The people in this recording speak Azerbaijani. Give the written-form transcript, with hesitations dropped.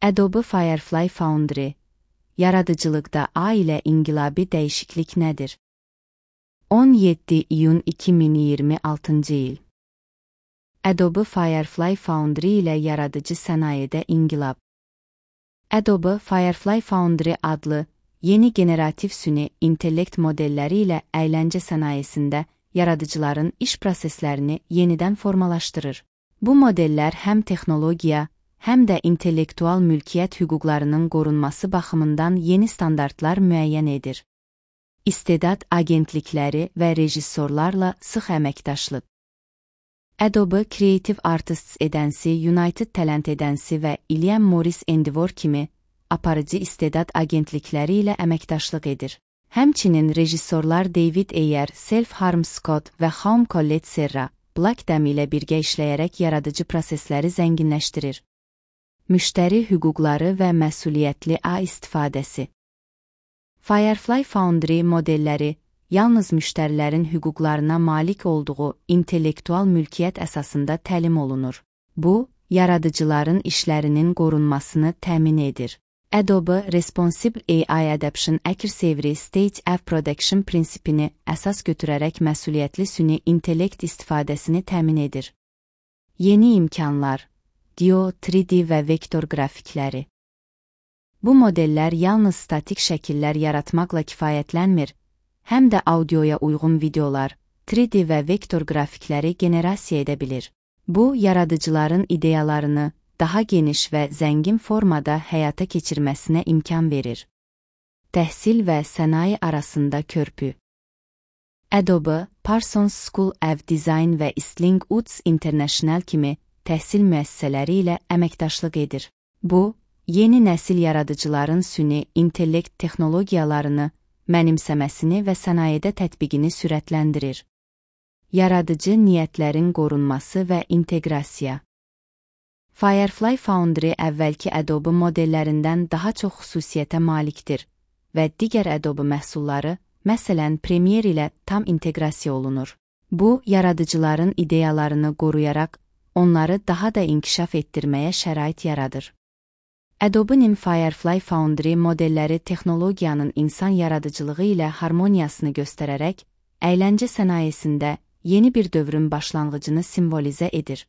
Adobe Firefly Foundry, yaradıcılıqda A ilə inqilabi dəyişiklik nədir? 17 iyun 2026 il. Adobe Firefly Foundry ilə yaradıcı sənayedə inqilab. Adobe Firefly Foundry adlı yeni generativ süni intellekt modelləri ilə əyləncə sənayesində yaradıcıların iş proseslərini yenidən formalaşdırır. Bu modellər həm texnologiya, həm də intellektual mülkiyyət hüquqlarının qorunması baxımından yeni standartlar müəyyən edir. İstedad agentlikləri və rejissorlarla sıx əməkdaşlıq. Adobe Creative Artists Agency, United Talent Agency və William Morris Endeavor kimi aparıcı istedad agentlikləri ilə əməkdaşlıq edir. Həmçinin rejissorlar David Ayer, Self Harm Scott və Jaume Collet Serra, Blackdam ilə birgə işləyərək yaradıcı prosesləri zənginləşdirir. Müştəri hüquqları və məsuliyyətli A istifadəsi. Firefly Foundry modelləri yalnız müştərilərin hüquqlarına malik olduğu intellektual mülkiyyət əsasında təlim olunur. Bu, yaradıcıların işlərinin qorunmasını təmin edir. Adobe Responsible AI Adaption Accuracy State of Production prinsipini əsas götürərək məsuliyyətli süni intellekt istifadəsini təmin edir. Yeni imkanlar, GEO, 3D və vektor qrafikləri. Bu modellər yalnız statik şəkillər yaratmaqla kifayətlənmir, həm də audioya uyğun videolar, 3D və vektor qrafikləri generasiya edə bilir. Bu, yaradıcıların ideyalarını daha geniş və zəngin formada həyata keçirməsinə imkan verir. Təhsil və sənaye arasında körpü. Adobe, Parsons School of Design və Eastling Woods International kimi təhsil müəssisələri ilə əməkdaşlıq edir. Bu, yeni nəsil yaradıcıların süni intellekt texnologiyalarını mənimsəməsini və sənayedə tətbiqini sürətləndirir. Yaradıcı niyyətlərin qorunması və inteqrasiya. Firefly Foundry əvvəlki Adobe modellərindən daha çox xüsusiyyətə malikdir və digər Adobe məhsulları, məsələn Premiere ilə tam inteqrasiya olunur. Bu, yaradıcıların ideyalarını qoruyaraq, onları daha da inkişaf etdirməyə şərait yaradır. Adobe-nin Firefly Foundry modelləri texnologiyanın insan yaradıcılığı ilə harmoniyasını göstərərək, əyləncə sənayesində yeni bir dövrün başlanğıcını simvolizə edir.